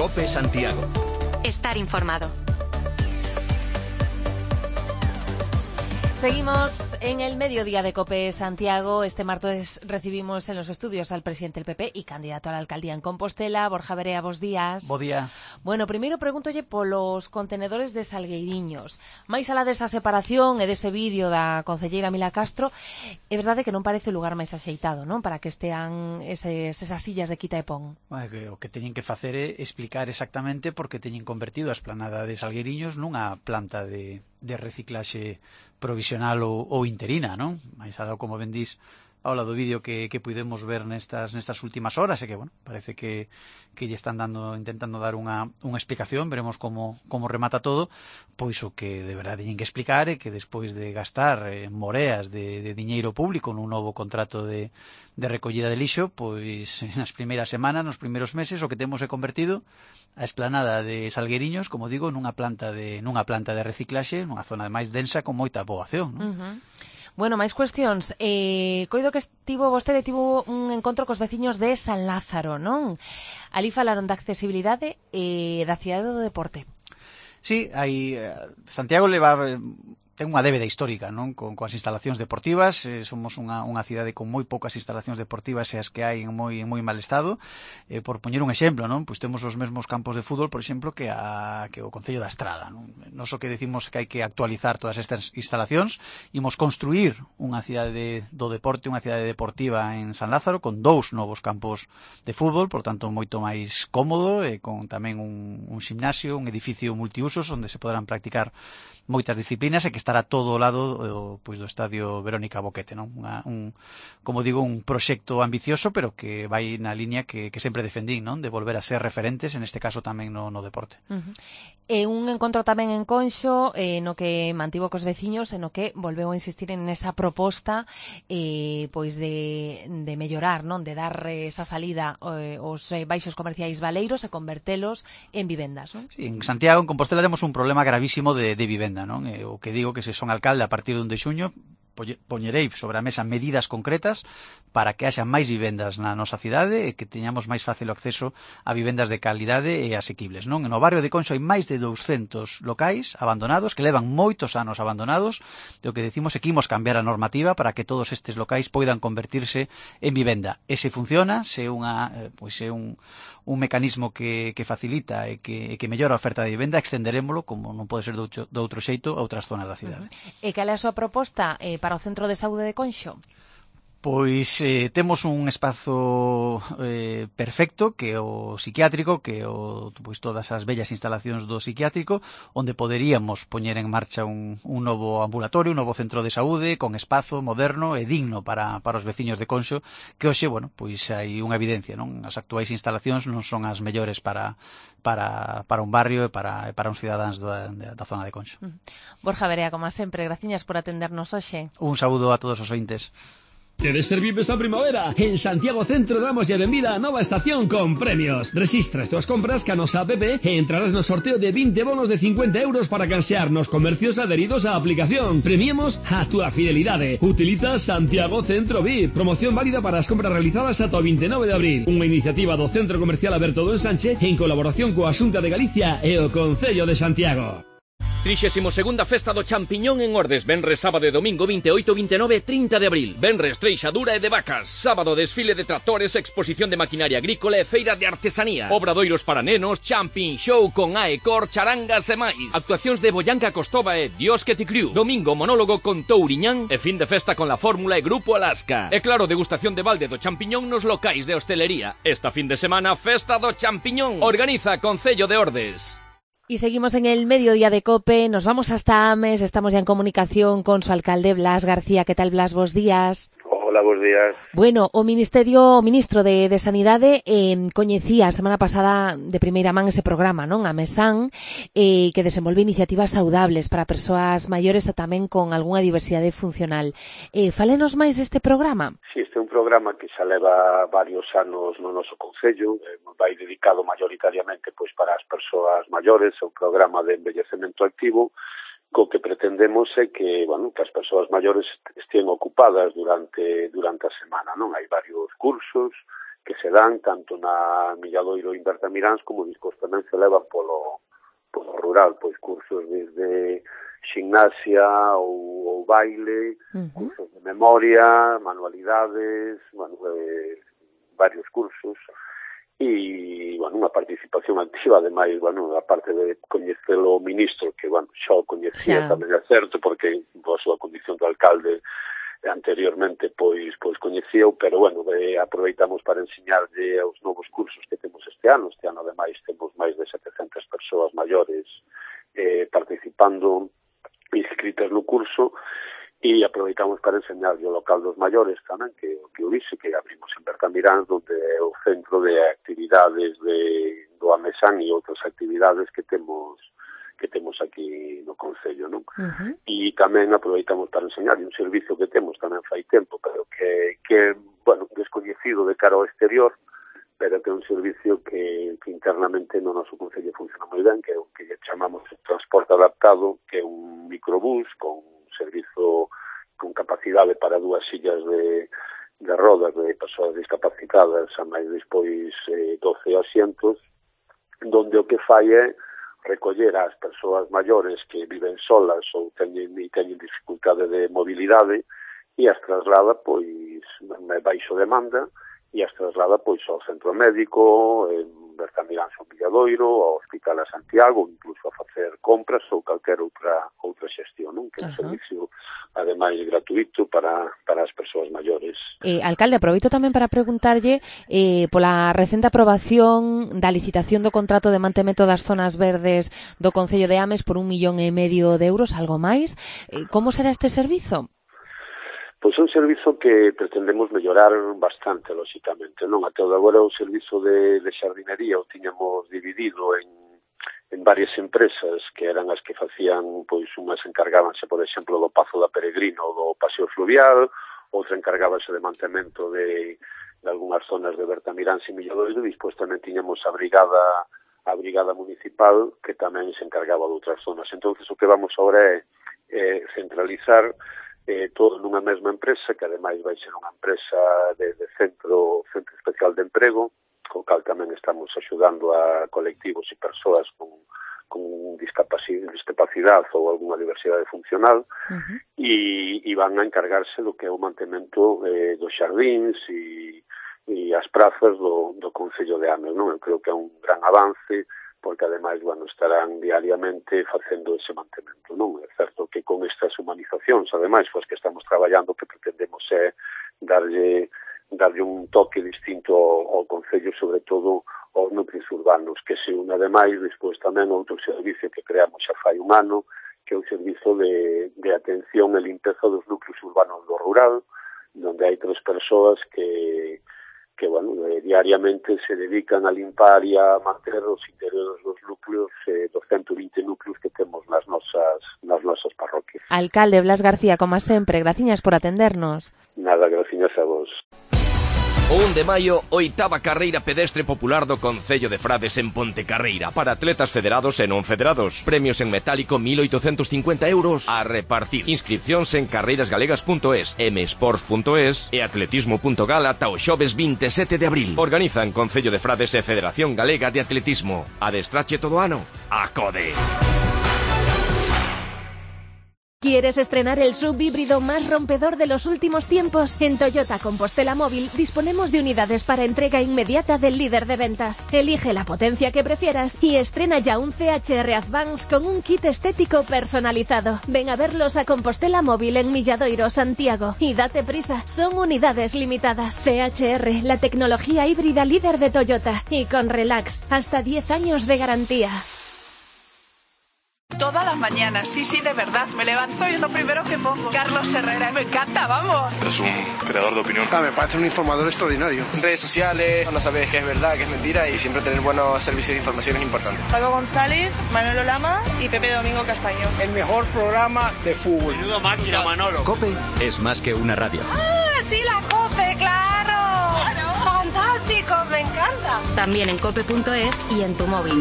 COPE Santiago. Estar informado. Seguimos en el mediodía de COPE Santiago. Este martes recibimos en los estudios al presidente del PP y candidato a la alcaldía en Compostela, Borja Verea. Bos días. Bo día. Bueno, primeiro pregúntolle polos contenedores de Salgueiriños. Mais alá desa separación e dese vídeo da concelleira Mila Castro, é verdade que non parece o lugar máis axeitado, non? Para que estean esas sillas de quita e pon. O que teñen que facer é explicar exactamente por que teñen convertido a esplanada de Salgueiriños nunha planta de reciclaxe provisional ou interina, non? Mais algo, como ben dís, ao lado do vídeo que pudemos ver nestas últimas horas, e que, bueno, parece que lle están intentando dar unha explicación. Veremos como remata todo. Pois o que de verdade teñen que explicar é que despois de gastar moreas de diñeiro público nun novo contrato de recollida de lixo, pois nas primeiras semanas, nos primeiros meses, o que temos é convertido a esplanada de Salgueiriños, como digo, nunha planta de reciclaxe, nunha zona máis densa con moita poboación, non? Bueno, máis cuestións. Coido que vostede tivo un encontro cos veciños de San Lázaro, non? Ali falaron da accesibilidade e da cidade do deporte. Sí, Santiago ten unha débeda histórica, non? Coas instalacións deportivas. Somos unha cidade con moi poucas instalacións deportivas, e as que hai en moi mal estado. Por poñer un exemplo, non? Pois temos os mesmos campos de fútbol, por exemplo, que o Concello da Estrada, non? Nos o que decimos que hai que actualizar todas estas instalacións. Imos construir unha cidade do deporte, unha cidade deportiva en San Lázaro, con 2 novos campos de fútbol, por tanto moito máis cómodo, e con tamén un gimnasio, un edificio multiusos onde se poderán practicar moitas disciplinas, e que estará todo ao lado do Estadio Verónica Boquete, non? Como digo, un proxecto ambicioso, pero que vai na liña que sempre defendín, non? De volver a ser referentes, en este caso tamén no deporte. E un encontro tamén en Conxo, no que mantivo cos veciños, e no que volveu a insistir en esa proposta pois de mellorar, non? De dar esa salida aos baixos comerciais baleiros e convertelos en vivendas, non? Sí, en Santiago, en Compostela, temos un problema gravísimo de vivenda, non? O que digo que se son alcalde a partir do 1 de xuño, poñerei sobre a mesa medidas concretas para que haxa máis vivendas na nosa cidade e que teñamos máis fácil o acceso a vivendas de calidade e asequibles, non? No barrio de Conxo hai máis de 200 locais abandonados que levan moitos anos abandonados, e o que decimos é que imos cambiar a normativa para que todos estes locais poidan convertirse en vivenda. E se funciona, se é un mecanismo que facilita e que mellora a oferta de vivenda, extenderémolo, como non pode ser de outro xeito, a outras zonas da cidade. E cal é a súa proposta para o Centro de Saúde de Conxo? Pois temos un espazo perfecto, que é o psiquiátrico, que é pois todas as bellas instalacións do psiquiátrico, onde poderíamos poñer en marcha un novo ambulatorio, un novo centro de saúde con espazo moderno e digno para os veciños de Conxo, que hoxe, bueno, pois hai unha evidencia, non? As actuais instalacións non son as mellores para un barrio e para uns cidadáns da zona de Conxo. Borja Verea, como sempre, graciñas por atendernos hoxe. Un saúdo a todos os ointes. ¿Quieres ser VIP esta primavera? En Santiago Centro damos ya benvida a nova estación con premios. Resistra as túas compras ca nosa app e entrarás no sorteo de 20 bonos de 50 euros para cansear nos comercios adheridos á aplicación. Premiemos a túa fidelidade. Utiliza Santiago Centro VIP. Promoción válida para as compras realizadas ata o 29 de abril. Unha iniciativa do Centro Comercial Aberto do Ensanche en colaboración coa Xunta de Galicia e o Concello de Santiago. 32ª Festa do Champiñón en Ordes. Venres, sábado e domingo 28, 29 e 30 de abril. Venres, treixadura e de vacas. Sábado, desfile de tractores, exposición de maquinaria agrícola e feira de artesanía. Obradoiros para nenos, Champin Show con Aecor, charangas e máis. Actuacións de Boyanca Costova e Dios que ti criu. Domingo, monólogo con Touriñán e fin de festa con la Fórmula e Grupo Alaska. E claro, degustación de balde do champiñón nos locais de hostelería. Esta fin de semana, Festa do Champiñón. Organiza Concello de Ordes. Y seguimos en el mediodía de COPE, nos vamos hasta Ames, estamos ya en comunicación con su alcalde Blas García. ¿Qué tal, Blas? Bos días. Hola, bos días. Bueno, o ministro de Sanidade coñecía a semana pasada de primeira man ese programa, non? A Mesán, que desenvolve iniciativas saudables para persoas maiores e tamén con algunha diversidade funcional. Fálenos máis deste programa? Sí, este é un programa que xa leva varios anos no noso concello, vai dedicado maioritariamente pois para as persoas maiores, é un programa de envellecemento activo, co que pretendemos é que, bueno, que as persoas maiores estén ocupadas durante a semana, non? Hai varios cursos se dan tanto na Milladoiro e en Bertamiráns como despois tamén se levan polo rural, pois cursos desde gimnasia ou baile, cursos de memoria, manualidades, varios cursos, e, unha participación activa, ademais, a parte de coñecer o ministro, que, xa o coñecía tamén é certo, porque a súa condición de alcalde anteriormente, pois coñecíao, pero, aproveitamos para enseñarlle os novos cursos que temos este ano. Este ano, ademais, temos máis de 700 persoas maiores participando, inscritas no curso, e aproveitamos para enseñarlle o local dos maiores tamén, que o dixe, que abrimos en Bertamiráns, onde é o centro de actividades do Amesán e outras actividades que temos aquí no Concello, non? E tamén aproveitamos para enseñarlle un servicio que temos tamén fai tempo, pero que descoñecido de cara ao exterior, pero que é un servicio que internamente no noso Concello funciona moi ben, que é o que chamamos transporte adaptado, que é un microbús con servizo con capacidade para 2 sillas de rodas de persoas discapacitadas a máis despois 12 asientos, donde o que fai é recoller as persoas maiores que viven solas ou teñen dificultade de mobilidade e as traslada baixo demanda e as traslada ao centro médico, en Bertamiráns ou Milladoiro, ao Hospital a Santiago, incluso a facer compras ou calquera outra xestión, non? Que é un servicio, ademais, gratuito para as persoas maiores. Alcalde, aproveito tamén para preguntarlle pola recente aprobación da licitación do contrato de mantemento das zonas verdes do Concello de Ames por 1,5 millón de euros, algo máis. Como será este servizo? Pois é un servizo que pretendemos mellorar bastante, lóxicamente, non? Até agora o servizo de xardinería o tiñamos dividido en varias empresas que eran as que facían, pois unhas encargábanse, por exemplo, do Pazo da Peregrino ou do Paseo Fluvial, outra encargábase de mantemento de algunhas zonas de Bertamiráns e Milladoiro, e despois tamén tiñamos a brigada municipal que tamén se encargaba de outras zonas. Entonces o que vamos agora é centralizar todo nunha mesma empresa, que ademais vai ser unha empresa de centro especial de emprego, co cal tamén estamos axudando a colectivos e persoas con discapacidade ou algunha diversidade funcional, e van a encargarse do que é o mantemento dos xardíns e as prazas do Concello de Ames, non? Eu creo que é un gran avance, porque ademais, estarán diariamente facendo ese mantemento, non? É certo que con estas humanizacións, ademais, que estamos traballando, que pretendemos é darlle un toque distinto ao Concello, sobre todo aos núcleos urbanos, que se une ademais, despois tamén outro servicio que creamos xa fai un ano, que é o servizo de atención e limpeza dos núcleos urbanos do rural, onde hai 3 persoas que diariamente se dedican a limpar e a manter os interiores dos núcleos, dos 120 núcleos que temos nas nosas parroquias. Alcalde Blas García, como sempre, graciñas por atendernos. Nada, graciñas a vos. O 1 de maio, 8ª carreira pedestre popular do Concello de Frades en Pontecarreira, para atletas federados e non federados. Premios en metálico 1.850 euros a repartir. Inscripcións en carreirasgalegas.es, msports.es e atletismo.gal ata o xoves 27 de abril. Organizan Concello de Frades e Federación Galega de Atletismo. Adestrache todo ano. Acode. ¿Quieres estrenar el SUV híbrido más rompedor de los últimos tiempos? En Toyota Compostela Móvil disponemos de unidades para entrega inmediata del líder de ventas. Elige la potencia que prefieras y estrena ya un CHR Advance con un kit estético personalizado. Ven a verlos a Compostela Móvil en Milladoiro, Santiago, y date prisa, son unidades limitadas. CHR, la tecnología híbrida líder de Toyota, y con Relax, hasta 10 años de garantía. Todas las mañanas, sí, de verdad. Me levanto y es lo primero que pongo. Carlos Herrera, me encanta, vamos. Es un creador de opinión. Me parece un informador extraordinario. Redes sociales, no sabes qué es verdad, qué es mentira, y siempre tener buenos servicios de información es importante. Paco González, Manolo Lama y Pepe Domingo Castaño. El mejor programa de fútbol. Menudo máquina, Manolo. COPE es más que una radio. ¡Ah, sí, la COPE, claro! ¡Fantástico, me encanta! También en cope.es y en tu móvil.